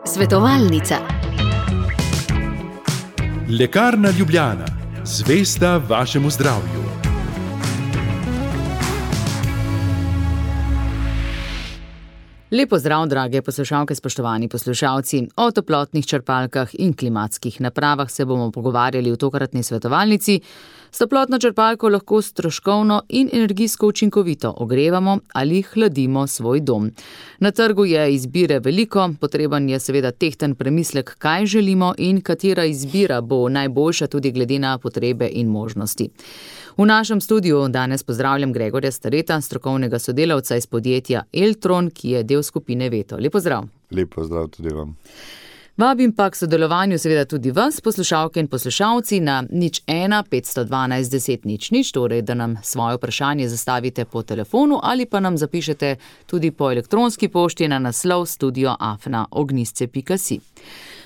Svetovalnica. Lekarna Ljubljana, zvesta vašemu zdravju. Lep pozdrav, drage poslušalke, spoštovani poslušalci. O toplotnih črpalkah in klimatskih napravah se bomo pogovarjali v tokratni svetovalnici. S toplotno črpalko lahko stroškovno in energijsko učinkovito ogrevamo ali hladimo svoj dom. Na trgu je izbire veliko, potreben je seveda tehten premislek, kaj želimo in katera izbira bo najboljša tudi glede na potrebe in možnosti. V našem studiu danes pozdravljam Gregorja Stareta, strokovnega sodelavca iz podjetja Eltron, ki je del skupine Veto. Lep pozdrav. Lep pozdrav tudi vam. Vabim pa k sodelovanju seveda tudi vas, poslušalke in poslušalci, na 01 512 10 00, torej da nam svoje vprašanje zastavite po telefonu ali pa nam zapišete tudi po elektronski pošti na naslov studio@ognisce.si.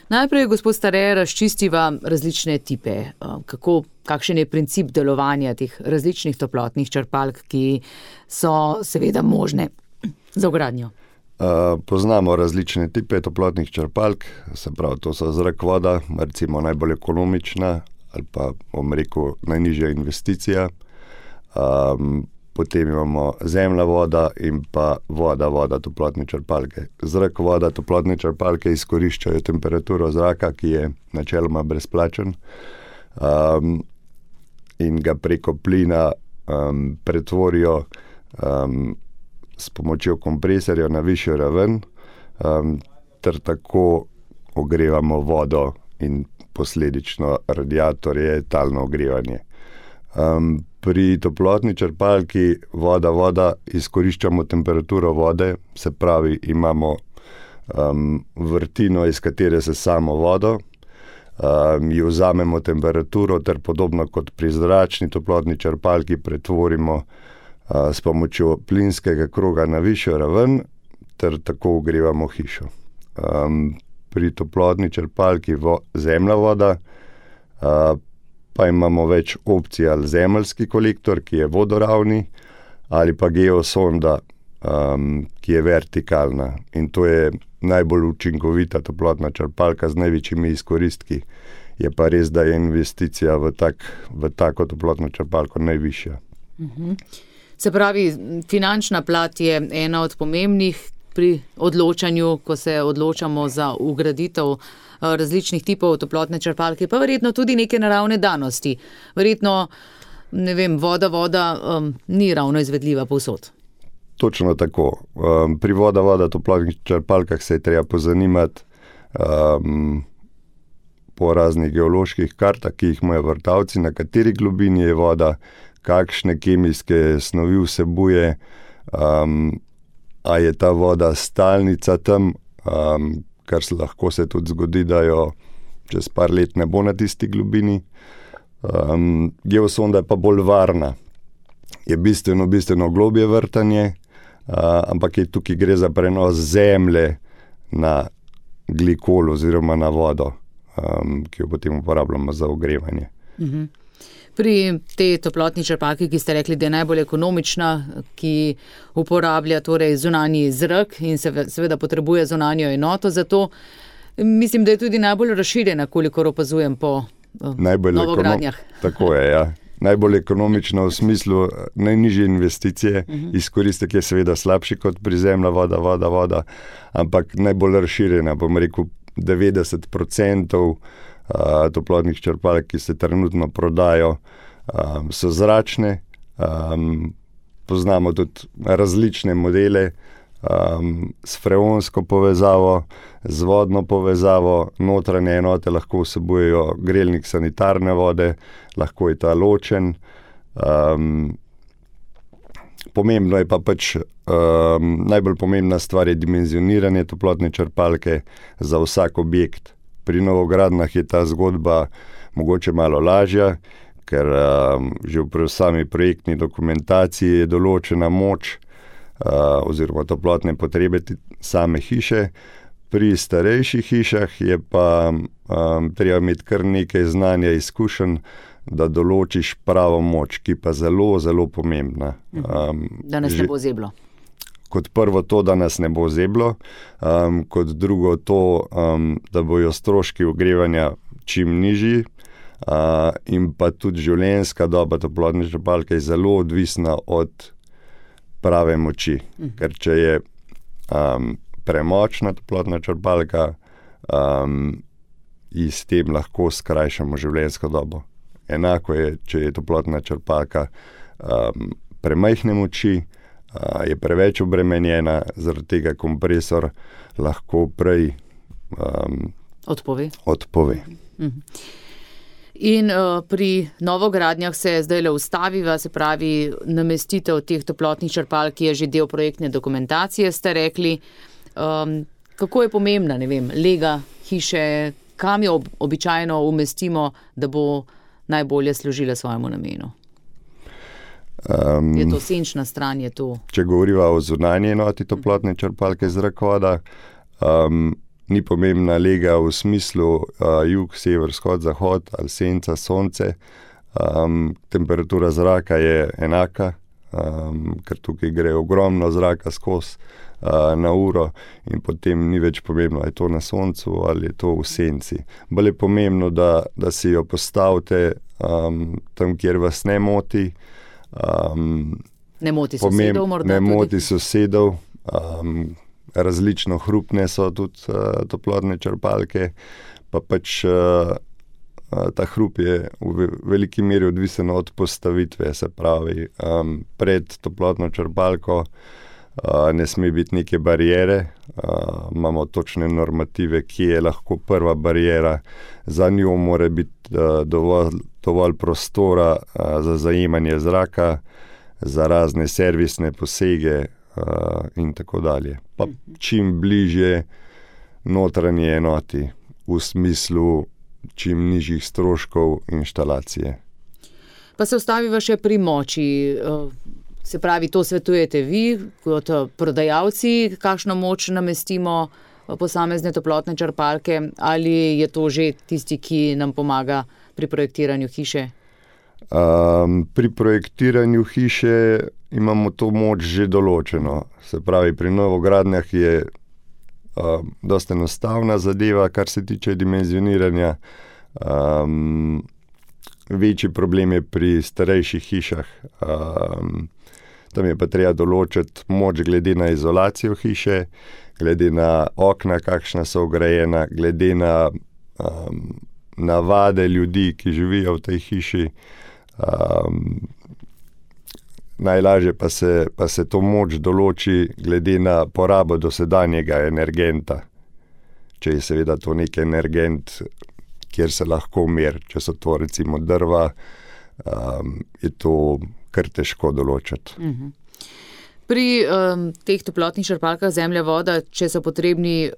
Najprej, gospod Stare, razčistiva različne tipe. Kakšen je princip delovanja teh različnih toplotnih črpalk, ki so seveda možne za vgradnjo? Poznamo različne tipe toplotnih črpalk, se pravi, to so zrak, voda, recimo najbolj ekonomična ali pa, bom rekel, najnižja investicija. Potem imamo zemlja, voda in pa voda, toplotne črpalke. Zrak, voda, toplotne črpalke izkoriščajo temperaturo zraka, ki je načeloma brezplačen, in ga preko plina pretvorijo s pomočjo kompresorja na višjo raven, ter tako ogrevamo vodo in posledično radiatorje, talno ogrevanje. Pri toplotni črpalki voda izkoriščamo temperaturo vode, se pravi, imamo vrtino, iz katere sesamo vodo, ji vzamemo temperaturo ter podobno kot pri zračni toplotni črpalki pretvorimo s pomočjo plinskega kroga na višjo raven ter tako ogrevamo hišo. Pri toplotni črpalki zemlja, voda pa imamo več opcij, ali zemeljski kolektor, ki je vodoravni, ali pa geosonda, ki je vertikalna, in to je najbolj učinkovita toplotna črpalka z največjimi izkoristki. Je pa res, da je investicija v tako toplotno črpalko najvišja. Se pravi, finančna plat je ena od pomembnih pri odločanju, ko se odločamo za vgraditev različnih tipov toplotne črpalke, pa verjetno tudi neke naravne danosti. Verjetno, ne vem, voda ni ravno izvedljiva povsod. Točno tako. Pri voda toplotnih črpalkah se je treba pozanimati po raznih geoloških kartah, ki jih imajo vrtavci, na kateri globini je voda, kakšne kemijske snovi vsebuje, a je ta voda stalnica tam, kar se lahko tudi zgodi, da jo čez par let ne bo na tisti globini. Geosonda je pa bolj varna. Je bistveno globje vrtanje, ampak tukaj gre za prenos zemlje na glikol oziroma na vodo, ki jo potem uporabljamo za ogrevanje. Pri tej toplotni črpalki, ki ste rekli, da je najbolj ekonomična, ki uporablja torej zunanji zrak in seveda potrebuje zunanjo enoto, zato mislim, da je tudi najbolj razširjena, kolikor opazujem po novogradnjah. Tako je, ja. Najbolj ekonomična v smislu najnižje investicije, izkoristek je seveda slabši kot pri zemlja, voda, ampak najbolj razširjena, bom rekel, 90% toplotnih črpalk, ki se trenutno prodajo, so zračne. Poznamo tudi različne modele s freonsko povezavo, z vodno povezavo. Notranje enote lahko vsebujejo grelnik sanitarne vode, lahko je ta ločen. Pomembno je pa najbolj pomembna stvar je dimenzioniranje toplotne črpalke za vsak objekt. Pri novogradnjah je ta zgodba mogoče malo lažja, ker že v sami projektni dokumentaciji je določena moč oziroma toplotne potrebe same hiše. Pri starejših hišah je pa treba imeti kar nekaj znanja, izkušenj, da določiš pravo moč, ki pa zelo, zelo pomembna. Da nas ne bo zeblo. kot prvo to, da nas ne bo zeblo, kot drugo to, da bojo stroški ogrevanja čim nižji, in pa tudi življenjska doba toplotne črpalke je zelo odvisna od prave moči. Ker če je premočna toplotna črpalka, in s tem lahko skrajšamo življenjsko dobo. Enako je, če je toplotna črpalka premajhne moči, je preveč obremenjena, zaradi tega kompresor lahko prej odpove. In pri novogradnjah se zdajle ustaviva, se pravi, namestitev teh toplotnih črpalk je že del projektne dokumentacije, ste rekli. Kako je pomembna, lega hiše, kam jo običajno umestimo, da bo najbolje služila svojemu namenu? Je to senčna stran, je to? Če govoriva o zunanji enoti toplotne črpalke zrakovoda, ni pomembna lega v smislu jug, sever, vzhod, zahod ali senca, sonce. Temperatura zraka je enaka, ker tukaj gre ogromno zraka skozi na uro in potem ni več pomembno, ali je to na soncu ali je to v senci. Bolj je pomembno, da si jo postavite tam, kjer vas ne moti. Ne moti sosedov morda? Ne moti sosedov. Različno hrupne so tudi toplotne črpalke, pa pač ta hrup je v veliki meri odvisen od postavitve, se pravi, pred toplotno črpalko ne sme biti neke bariere, imamo točne normative, kje je lahko prva bariera, za njo mora biti dovolj prostora za zajemanje zraka, za razne servisne posege in tako dalje. Pa čim bližje notranji enoti, v smislu čim nižjih stroškov inštalacije. Pa se ustaviva še pri moči. Se pravi, to svetujete vi kot prodajalci, kakšno moč namestimo posamezne toplotne črpalke, ali je to že tisti, ki nam pomaga pri projektiranju hiše? Pri projektiranju hiše imamo to moč že določeno. Se pravi, pri novogradnjah je dosta enostavna zadeva, kar se tiče dimenzioniranja. Večji problem je pri starejših hišah. Tam je pa treba določiti moč glede na izolacijo hiše, glede na okna, kakšna so vgrajena, glede na navade ljudi, ki živijo v tej hiši. Najlažje pa se to moč določi glede na porabo dosedanjega energenta. Če je seveda to nek energent, kjer se lahko meri, če so to recimo drva, je to kar težko določiti. Pri teh toplotnih črpalkah zemlja, voda, če so potrebni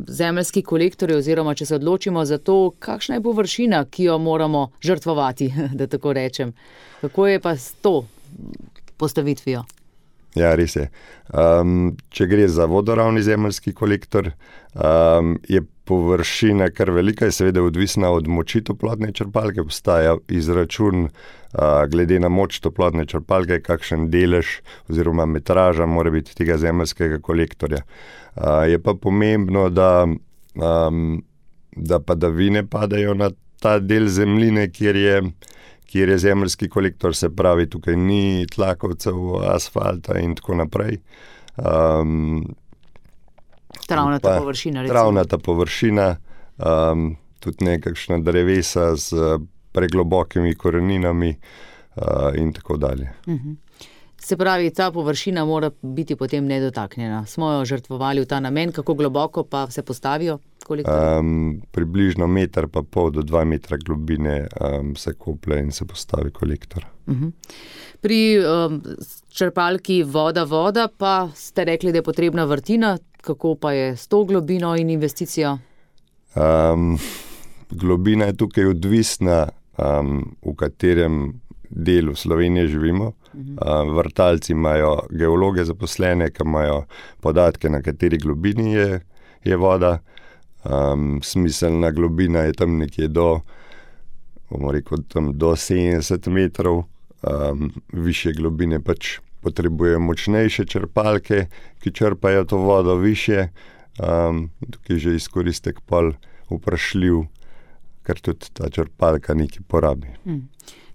zemeljski kolektorji oziroma če se odločimo za to, kakšna je površina, ki jo moramo žrtvovati, da tako rečem. Kako je pa s to postavitvijo? Ja, res je. Če gre za vodoravni zemeljski kolektor, je površina kar velika, je seveda odvisna od moči toplotne črpalke, obstaja izračun glede na moč toplotne črpalke, kakšen delež oziroma metraža mora biti tega zemeljskega kolektorja. Je pa pomembno, da padavine padajo na ta del zemljine, kjer je zemeljski kolektor, se pravi, tukaj ni tlakovcev, asfalta in tako naprej. Travnata površina, recimo. Travnata površina, tudi nekakšna drevesa z preglobokimi koreninami in tako dalje. Se pravi, ta površina mora biti potem nedotaknjena. Smo jo žrtvovali v ta namen, kako globoko pa se postavijo kolektorji? Približno 1,5 do 2 metra globine se koplje in se postavi kolektor. Pri črpalki voda pa ste rekli, da je potrebna vrtina. Kako pa je s to globino in investicijo? Globina je tukaj odvisna, v katerem delu Slovenije živimo. Vrtalci imajo geologe zaposlene, ki imajo podatke, na kateri globini je voda. Smiselna globina je tam nekje do 70 metrov. Višje globine pač potrebuje močnejše črpalke, ki črpajo to vodo višje. Tukaj že izkoristek pol vprašljiv, ker tudi ta črpalka nekaj porabi.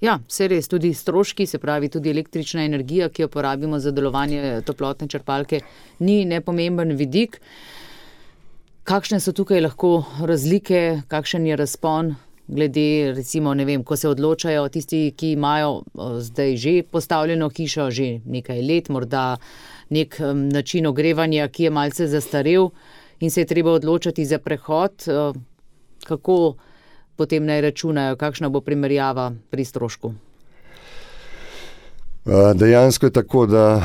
Ja, vse res, tudi stroški, se pravi tudi električna energija, ki jo porabimo za delovanje toplotne črpalke, ni nepomemben vidik. Kakšne so tukaj lahko razlike, kakšen je razpon glede, recimo, ne vem, ko se odločajo tisti, ki imajo zdaj že postavljeno hišo, že nekaj let, morda nek način ogrevanja, ki je malce zastarel in se je treba odločati za prehod, kako potem naj računajo, kakšna bo primerjava pri strošku? Dejansko je tako, da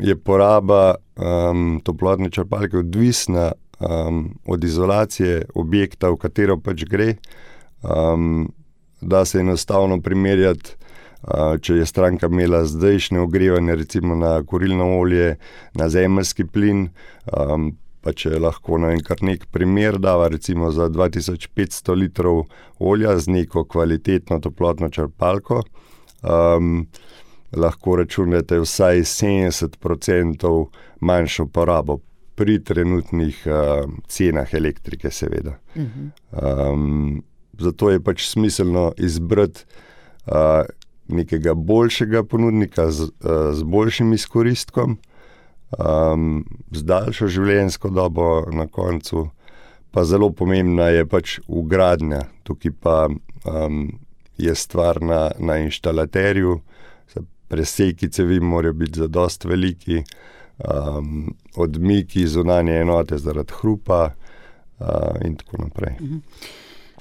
je poraba toplotne črpalke odvisna od izolacije objekta, v katero pač gre. Da se enostavno primerjati, če je stranka imela zdajšnje ogrevanje, recimo na kurilno olje, na zemeljski plin, pa če lahko kar nek primer dava, recimo za 2500 litrov olja z neko kvalitetno toplotno črpalko, lahko računate vsaj 70% manjšo porabo pri trenutnih cenah elektrike, seveda. Zato je pač smiselno izbrati nekega boljšega ponudnika z boljšim izkoristkom, z daljšo življenjsko dobo na koncu, pa zelo pomembna je pač vgradnja. Tukaj pa je stvar na inštalaterju, preseki cevi morajo biti zadosti veliki, odmiki zunanje enote zaradi hrupa in tako naprej.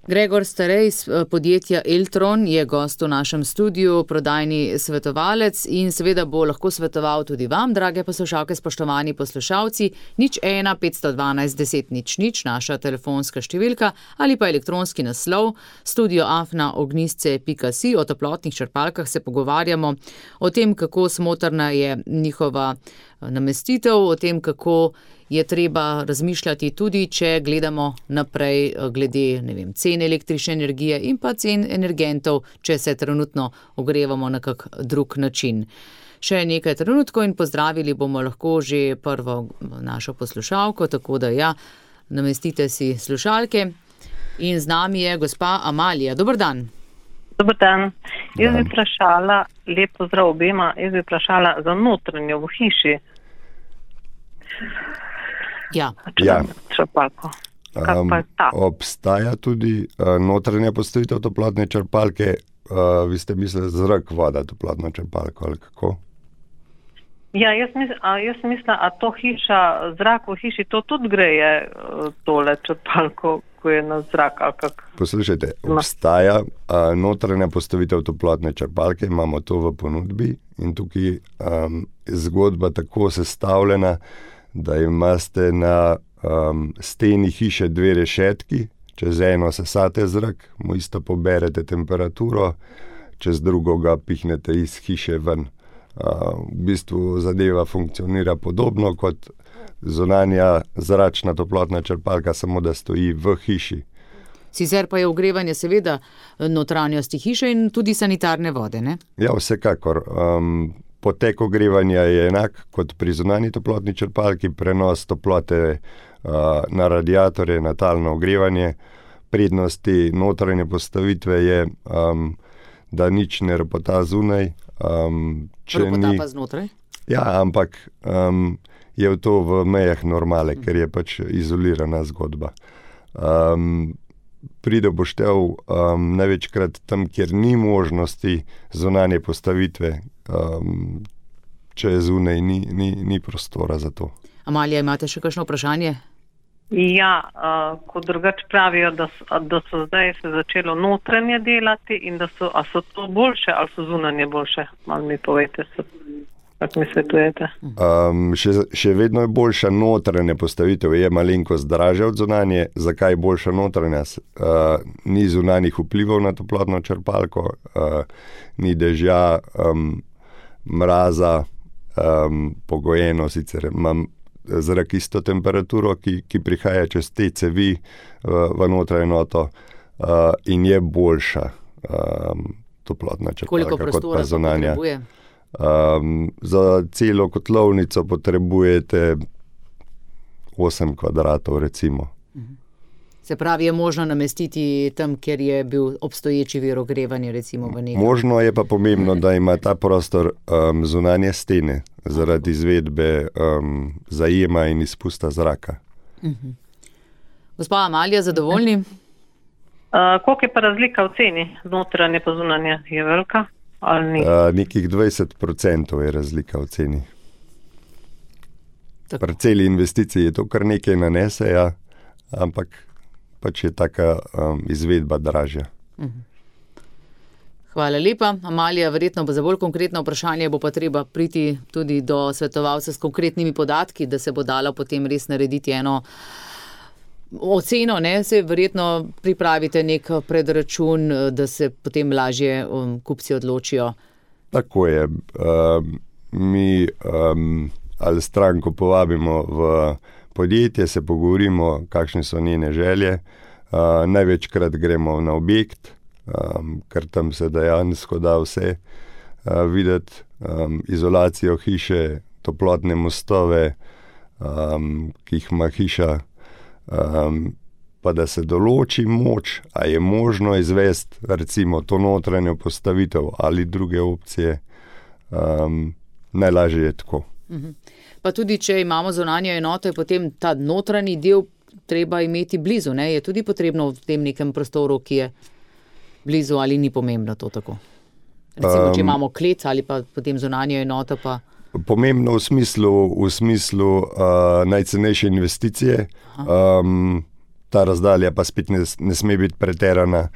Gregor Starej iz podjetja Eltron je gost v našem studiu, prodajni svetovalec in seveda bo lahko svetoval tudi vam, drage poslušalke, spoštovani poslušalci, 01 512 10 00, naša telefonska številka ali pa elektronski naslov studio@ognjisce.si. O toplotnih črpalkah se pogovarjamo, o tem, kako smotrna je njihova namestitev, o tem, kako je treba razmišljati tudi, če gledamo naprej glede, ne vem, cen električne energije in pa cen energentov, če se trenutno ogrevamo na kak drug način. Še nekaj trenutkov in pozdravili bomo lahko že prvo našo poslušalko, tako da ja, namestite si slušalke. In z nami je gospa Amalija. Dober dan. Dober dan. Jaz bi vprašala, lep pozdrav obema, jaz bi vprašala za notranjo v hiši. Ja. Črpalko. Kaj pa je ta? Obstaja tudi notranja postavitev toplotne črpalke, vi ste mislili zrak, voda, toplotno črpalko ali kako? Ja, jaz mislim, a to hiša, zrak v hiši, to tudi greje tole črpalko, ko je na zrak ali kak? Poslušajte, obstaja notranja postavitev toplotne črpalke, imamo to v ponudbi in tukaj je zgodba tako sestavljena, da imate na steni hiše dve rešetki, čez eno sesate zrak, mu isto poberete temperaturo, čez drugo ga pihnete iz hiše ven. V bistvu zadeva funkcionira podobno kot zunanja zračna toplotna črpalka, samo da stoji v hiši. Sicer pa je ogrevanje seveda notranjosti hiše in tudi sanitarne vode, ne? Ja, vsekakor. Potek ogrevanja je enak kot pri zunanji toplotni črpalki, prenos toplote na radiatorje, na talno ogrevanje. Prednosti notranje postavitve je, da nič ne ropota zunaj. Ropota pa znotraj? Ja, ampak je to v mejah normale, ker je pač izolirana zgodba. Pride poštev največkrat tam, kjer ni možnosti zunanje postavitve, če zunaj ni prostora za to. Amalija, imate še kakšno vprašanje? Ja, kot drugače pravijo, da so zdaj se začelo notranje delati in a so to boljše ali so zunanje boljše? Malo mi povejte, kako mi svetujete. Še vedno je boljša notranja postavitev, je malenkost dražja od zunanje. Zakaj je boljša notranja? Ni zunanjih vplivov na toplotno črpalko, ni dežja, mraza, pogojeno sicer imam zrak isto temperaturo, ki prihaja čez te cevi v notranjo enoto in je boljša toplotna črpalka kot pa zunanja. Koliko prostora potrebuje? Za celo kotlovnico potrebujete 8 kvadratov, recimo. Se pravi, je možno namestiti tam, kjer je bil obstoječi vir ogrevanja, recimo v nekaj? Možno je pa pomembno, da ima ta prostor zunanje stene zaradi izvedbe zajema in izpusta zraka. Gospa Amalija, zadovoljni? Koliko je pa razlika v ceni? Notranje pa zunanje je velika ali ni? Nekih 20% je razlika v ceni. Pri celi investiciji je to kar nekaj nanese, ja, ampak pač je taka izvedba dražja. Hvala lepa. Amalija, verjetno bo za bolj konkretno vprašanje bo pa treba priti tudi do svetovalca s konkretnimi podatki, da se bo dalo potem res narediti eno oceno, ne? Se verjetno pripravite nek predračun, da se potem lažje kupci odločijo. Tako je. Mi ali stranko povabimo v podjetje, se pogovorimo, kakšne so njene želje. Največkrat gremo na objekt, ker tam se dejansko da vse videti. Izolacijo hiše, toplotne mostove, ki jih ima hiša, pa da se določi moč, a je možno izvesti recimo to notranjo postavitev ali druge opcije. Najlažje je tako. Pa tudi, če imamo zunanjo enoto, je potem ta notranji del treba imeti blizu, ne? Je tudi potrebno v tem nekem prostoru, ki je blizu, ali ni pomembno to tako? Recimo, če imamo klet ali pa potem zunanjo enoto pa... Pomembno v smislu najcenejše investicije. Ta razdalja pa spet ne sme biti preterana,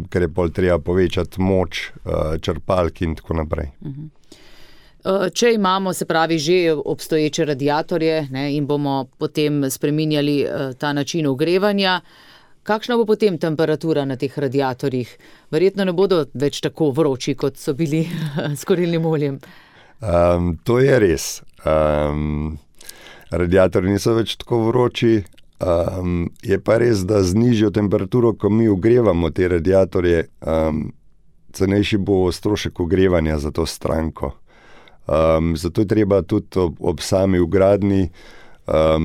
ker je pol treba povečati moč črpalk in tako naprej. Če imamo, se pravi, že obstoječe radiatorje, ne, in bomo potem spreminjali ta način ogrevanja, kakšna bo potem temperatura na teh radiatorjih? Verjetno ne bodo več tako vroči, kot so bili s kurilnim oljem. To je res. Radiatorji niso več tako vroči. Je pa res, da z nižjo temperaturo, ko mi ogrevamo te radiatorje, cenejši bo strošek ogrevanja za to stranko. Zato je treba tudi ob sami vgradnji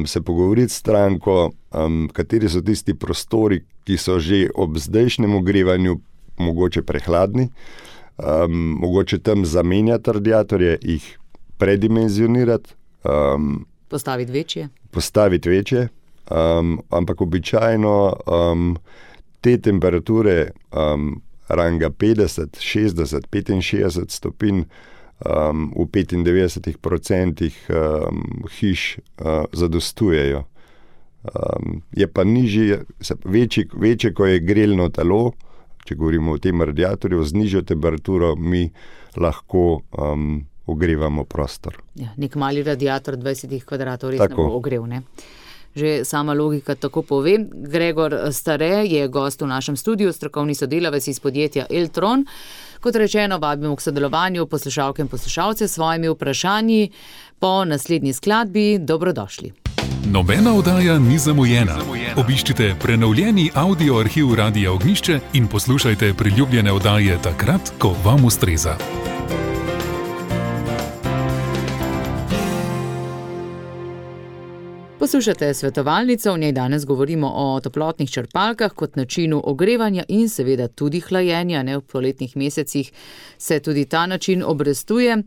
se pogovoriti s stranko, kateri so tisti prostori, ki so že ob zdajšnjem ogrevanju mogoče prehladni, mogoče tam zamenjati radiatorje, jih predimenzionirati. Postaviti večje. Ampak običajno te temperature ranga 50, 60, 65 stopinj v 95% hiš zadostujejo. Je pa nižji, večje, ko je grelno telo, če govorimo o tem radiatorju, z nižjo temperaturo mi lahko ogrevamo prostor. Ja, nek mali radiator 20 kvadratov res ne bo ogrev, ne? Že sama logika tako pove. Gregor Stare je gost v našem studiu, strokovni sodelavec iz podjetja Eltron. Kot rečeno, vabimo k sodelovanju poslušalke in poslušalce s svojimi vprašanji. Po naslednji skladbi dobrodošli. Nobena oddaja ni zamujena. Obiščite prenovljeni audio arhiv Radia Ognjišče in poslušajte priljubljene oddaje takrat, ko vam ustreza. Poslušate svetovalnico, v njej danes govorimo o toplotnih črpalkah kot načinu ogrevanja in seveda tudi hlajenja. Ne, v poletnih mesecih se tudi ta način obrestuje.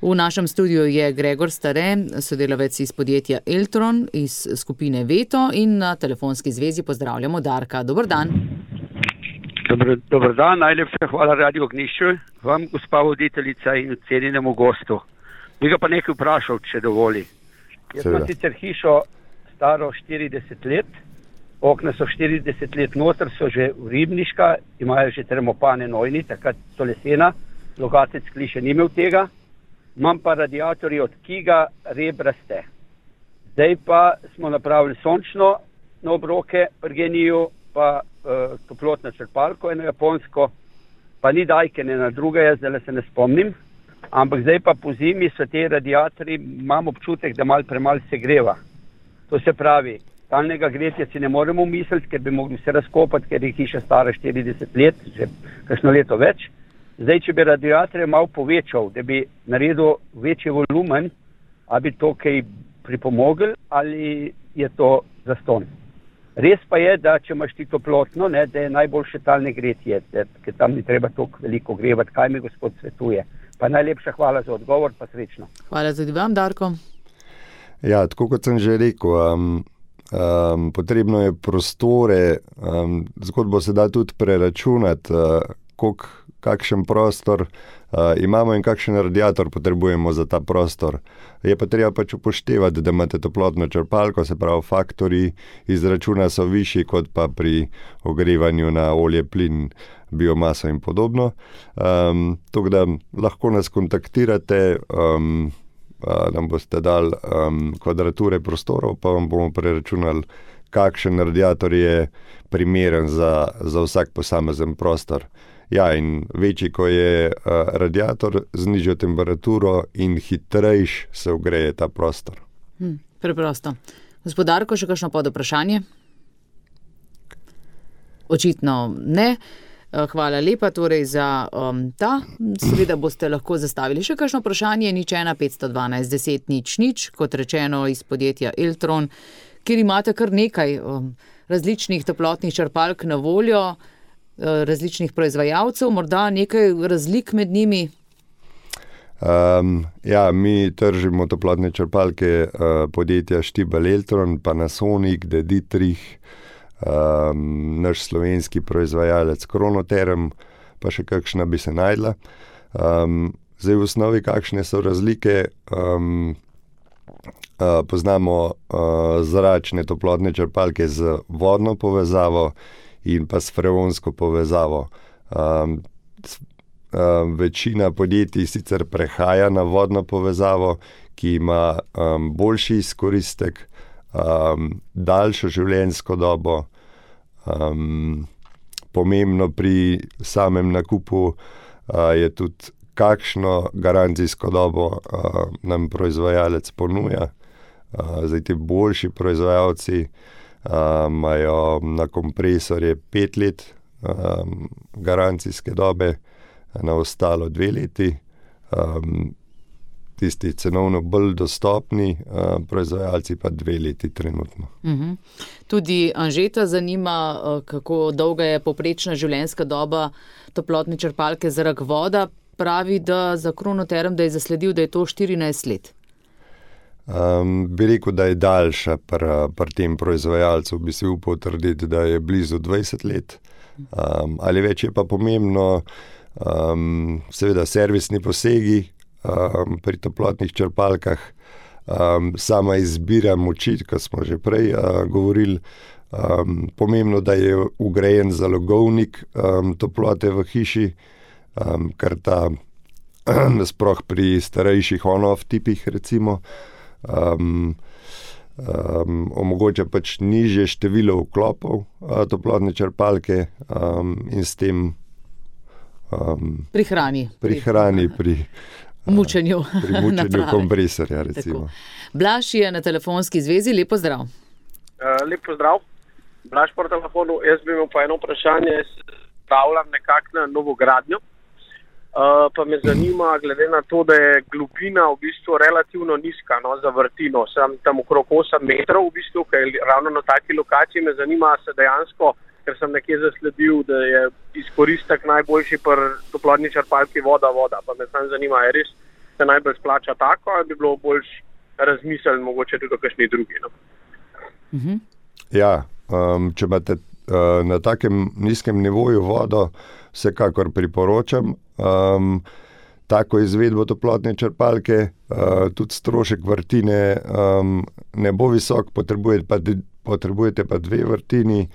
V našem studiu je Gregor Stare, sodelavec iz podjetja Eltron, iz skupine Veto, in na telefonski zvezi pozdravljamo Darka. Dober dan. Dober dan, najlepša hvala Radio Ognjišče, vam, gospa voditeljica in cenjenemu gostu. Bi ga pa nekaj vprašal, če dovoli. Jaz imam sicer hišo staro 40 let, okna so 40 let noter, so že ribniška, imajo že termopane nojni, takrat so lesena, Logatec kliše ni imel tega, imam pa radiatorji od Kiga rebraste. Zdaj pa smo napravili sončno na obroke pri Geniju, pa toplotno črpalko, eno japonsko, pa ni dajke, ne na druga, jaz zdaj se ne spomnim. Ampak zdaj pa po zimi so te radiatorji, imam občutek, da malo premalo se greva. To se pravi, stalnega gretja si ne moremo misliti, ker bi mogli se razkopati, ker je hiša stara 40 let, že kakšno leto več. Zdaj, če bi radiatorje malo povečal, da bi naredil večji volumen, a bi to kaj pripomogel ali je to zastonj? Res pa je, da če imaš ti toplotno, ne, da je najboljše talne gretje, ker tam ni treba toliko veliko grevati, kaj mi gospod svetuje. Pa najlepša hvala za odgovor, pa srečno. Hvala tudi vam, Darko. Ja, tako kot sem že rekel, potrebno je prostore, zgodbo se da tudi preračunati, kakšen prostor imamo in kakšen radiator potrebujemo za ta prostor. Je pa treba pač upoštevati, da imate toplotno črpalko, se pravi faktorji izračuna so višji kot pa pri ogrevanju na olje, plin, biomaso in podobno. Tako da lahko nas kontaktirate, nam boste dali kvadrature prostorov, pa vam bomo preračunali, kakšen radiator je primeren za vsak posamezen prostor. Ja, in večji, ko je radiator, z nižjo temperaturo in hitrejš se ogreje ta prostor. Preprosto. Gospod Darko, še kakšno podvprašanje? Očitno ne. Hvala lepa torej za ta. Seveda boste lahko zastavili še kakšno vprašanje, 01 512 10 00, kot rečeno iz podjetja Eltron, kjer imate kar nekaj različnih toplotnih črpalk na voljo, različnih proizvajalcev, morda nekaj razlik med njimi? Ja, mi tržimo toplotne črpalke podjetja Štibel Eltron, Panasonic, De Dietrich, naš slovenski proizvajalec Kronoterm, pa še kakšna bi se najdla. Zdaj v osnovi, kakšne so razlike, poznamo zračne toplotne črpalke z vodno povezavo in pa s freonsko povezavo. Večina podjetij sicer prehaja na vodno povezavo, ki ima boljši izkoristek, daljšo življenjsko dobo. Pomembno pri samem nakupu je tudi, kakšno garancijsko dobo nam proizvajalec ponuja. Zdaj ti boljši proizvajalci imajo na kompresorje 5 let garancijske dobe, na ostalo 2 leti. Tisti cenovno bolj dostopni proizvajalci pa 2 leti trenutno. Tudi Anžeta zanima, kako dolga je povprečna življenjska doba toplotne črpalke za rak voda. Pravi, da za Kronoterm, da je zasledil, da je to 14 let. Bi rekel, da je daljša pri tem proizvajalcu, bi si upal trditi, da je blizu 20 let. Ali več je pa pomembno, seveda servisni posegi pri toplotnih črpalkah, sama izbira moči, kot smo že prej govorili, pomembno, da je vgrajen zalogovnik toplote v hiši, ker ta sploh pri starejših on-off tipih recimo omogoča pač nižje število vklopov toplotne črpalke in s tem prihrani pri mučenju kompresorja recimo. Blaž je na telefonski zvezi, lep pozdrav. Lep pozdrav, Blaž po telefonu. Jaz bi imel pa eno vprašanje, jaz stavljam nekako na novogradnjo, pa me zanima, glede na to, da je globina v bistvu relativno nizka, za vrtino, sem tam okrog 8 metrov v bistvu, ker ravno na taki lokaciji me zanima, se dejansko, ker sem nekje zasledil, da je izkoristek najboljši pri toplotni črpalki voda, pa me sam zanima, je res se najbolj splača tako, ali bi bilo boljš razmisliti mogoče tudi o kakšni drugi. Ja, če imate na takem nizkem nivoju vodo, vsekakor priporočam tako izvedbo toplotne črpalke, tudi strošek vrtine ne bo visok, potrebujete pa 2 vrtini.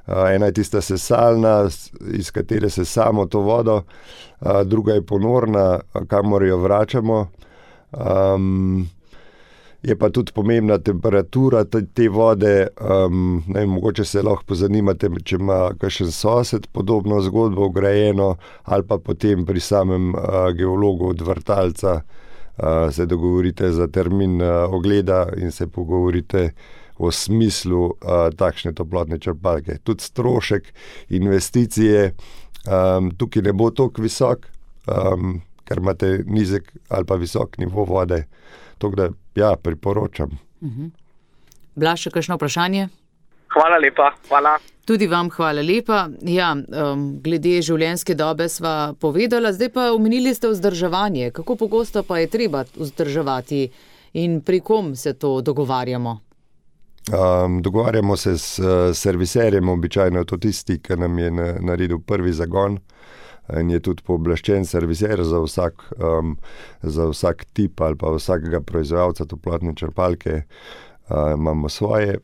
Ena je tista sesalna, iz katere sesamo to vodo, druga je ponorna, kamor jo vračamo. Je pa tudi pomembna temperatura te vode, mogoče se lahko pozanimate, če ima kakšen sosed podobno zgodbo vgrajeno, ali pa potem pri samem geologu od vrtalca se dogovorite za termin ogleda in se pogovorite o smislu takšne toplotne črpalke. Tudi strošek investicije tukaj ne bo toliko visok, ker imate nizek ali pa visok nivo vode. Tako da, ja, priporočam. Blaž, še kakšno vprašanje? Hvala lepa, hvala. Tudi vam hvala lepa. Ja, glede življenjske dobe sva povedala, zdaj pa omenili ste vzdrževanje. Kako pogosto pa je treba vzdrževati in pri kom se to dogovarjamo? Dogovarjamo se s serviserjem, običajno je to tisti, ki nam je naredil prvi zagon in je tudi pooblaščen serviser za vsak tip ali pa vsakega proizvajalca toplotne črpalke. Imamo svoje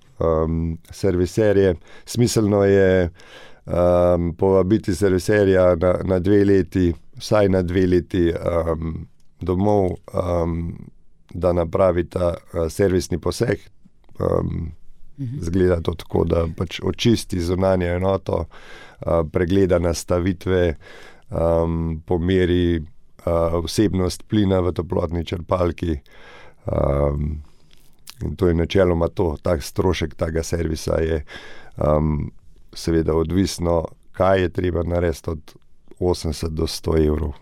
serviserje. Smiselno je povabiti serviserja na 2 leti, vsaj na 2 leti domov, da napravita servisni poseg. Zgleda to tako, da pač očisti zunanjo enoto, pregleda nastavitve, pomeri vsebnost plina v toplotni črpalki. In to je načeloma to. Tak strošek tega servisa je seveda odvisno, kaj je treba narediti od 80 do 100 evrov.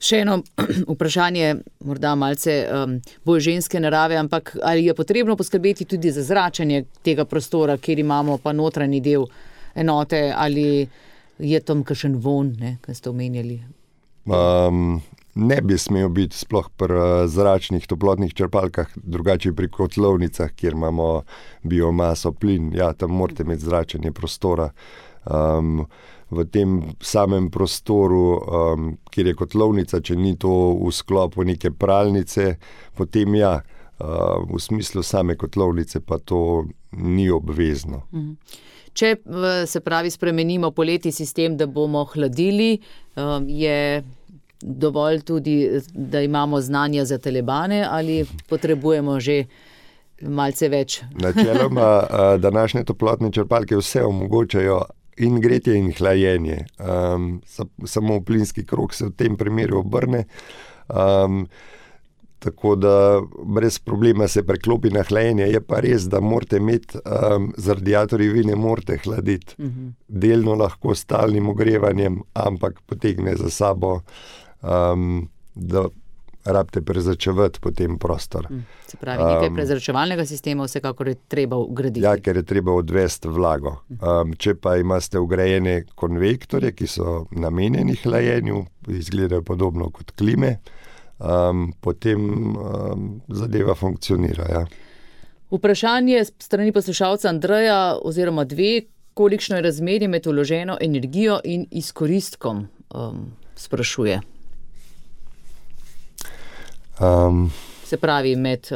Še eno vprašanje, morda malce bolj ženske narave, ampak ali je potrebno poskrbeti tudi za zračenje tega prostora, kjer imamo pa notranji del enote, ali je tam kakšen von, kaj ste omenjali? Ne bi smel biti sploh pri zračnih toplotnih črpalkah, drugače pri kotlovnicah, kjer imamo biomaso, plin. Ja, tam morate imeti zračenje prostora. V tem samem prostoru, kjer je kotlovnica, če ni to v sklopu neke pralnice, potem ja, v smislu same kotlovnice pa to ni obvezno. Če se pravi spremenimo poleti sistem, da bomo hladili, je dovolj tudi, da imamo znanja za telebane ali potrebujemo že malce več? Načeloma današnje toplotne črpalke vse omogočajo in gretje in hlajenje. Samo plinski krog se v tem primeru obrne. Tako da brez problema se preklopi na hlajenje. Je pa res, da morate imeti, z radiatorji vi ne morate hladiti. Delno lahko s stalnim ogrevanjem, ampak potegne za sabo, da rabite prezračevati potem prostor. Se pravi, nekaj prezračevalnega sistema vsekakor je treba ugraditi. Ja, ker je treba odvesti vlago. Če pa imate vgrajene konvektorje, ki so namenjeni hlajenju, izgledajo podobno kot klime, potem zadeva funkcionira. Ja. Vprašanje strani poslušalca Andreja oziroma 2, kolikšno je razmerje med vloženo energijo in izkoristkom, sprašuje. Se pravi, med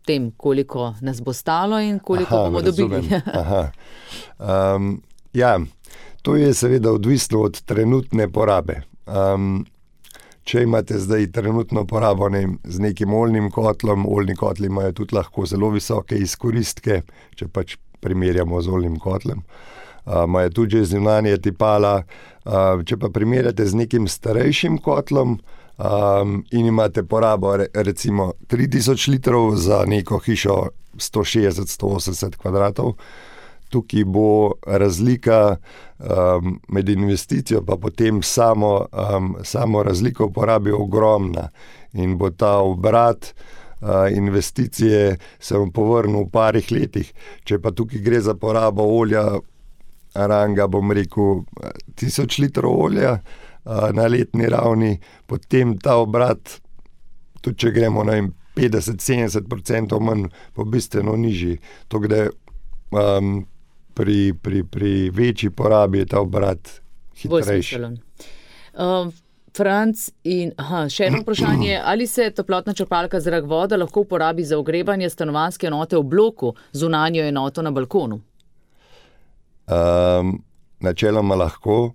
tem, koliko nas bo stalo in koliko bomo dobili. Ja, to je seveda odvisno od trenutne porabe. Če imate zdaj trenutno porabo z nekim oljnim kotlom, oljni kotli imajo tudi lahko zelo visoke izkoristke, če pač primerjamo z oljnim kotlem. Imajo tudi že zunanje tipala. Če pa primerjate z nekim starejšim kotlom, in imate porabo recimo 3000 litrov za neko hišo 160-180 kvadratov, tukaj bo razlika med investicijo pa potem samo razliko v porabi ogromna in bo ta obrat investicije se vam povrnil v parih letih. Če pa tukaj gre za porabo olja, ranga, bom rekel, 1000 litrov olja na letni ravni, potem ta obrat, tudi če gremo na 50-70% manj, bo bistveno nižji. Tako da pri večji porabi je ta obrat hitrejši. Franc, še eno vprašanje, ali se toplotna črpalka zrak voda lahko uporabi za ogrevanje stanovanjske enote v bloku, zunanjo enoto na balkonu? Načeloma lahko.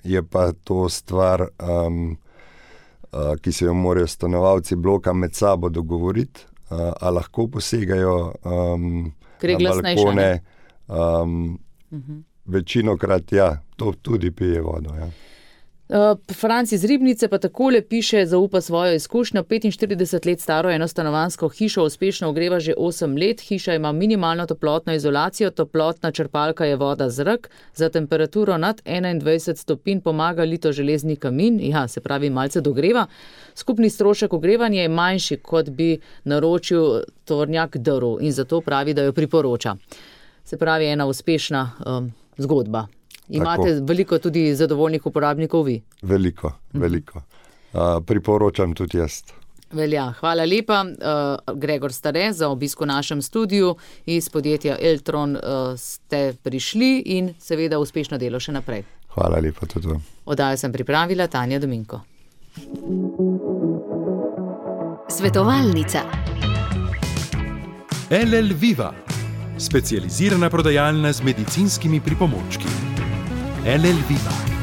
Je pa to stvar, ki se jo morajo stanovalci bloka med sabo dogovoriti, a lahko posegajo na balkone. Večinokrat ja, to tudi pije vodo. Ja. Franc iz Ribnice pa takole piše, zaupa svojo izkušnjo. 45 let staro enostanovanjsko hišo uspešno ogreva že 8 let. Hiša ima minimalno toplotno izolacijo, toplotna črpalka je voda, zrak. Za temperaturo nad 21 stopinj pomaga litoželezni kamin, se pravi malce dogreva. Skupni strošek ogrevanja je manjši, kot bi naročil tovornjak drv in zato pravi, da jo priporoča. Se pravi, ena uspešna zgodba. Imate tako veliko tudi zadovoljnih uporabnikov vi? Veliko. Priporočam tudi jaz. Velja. Hvala lepa, Gregor Stare, za obisk v našem studiu. Iz podjetja Eltron ste prišli in seveda uspešno delo še naprej. Hvala lepa tudi vam. Oddajo sem pripravila Tanja Dominko. Svetovalnica. LL Viva, specializirana prodajalna z medicinskimi pripomočki. LL Viva.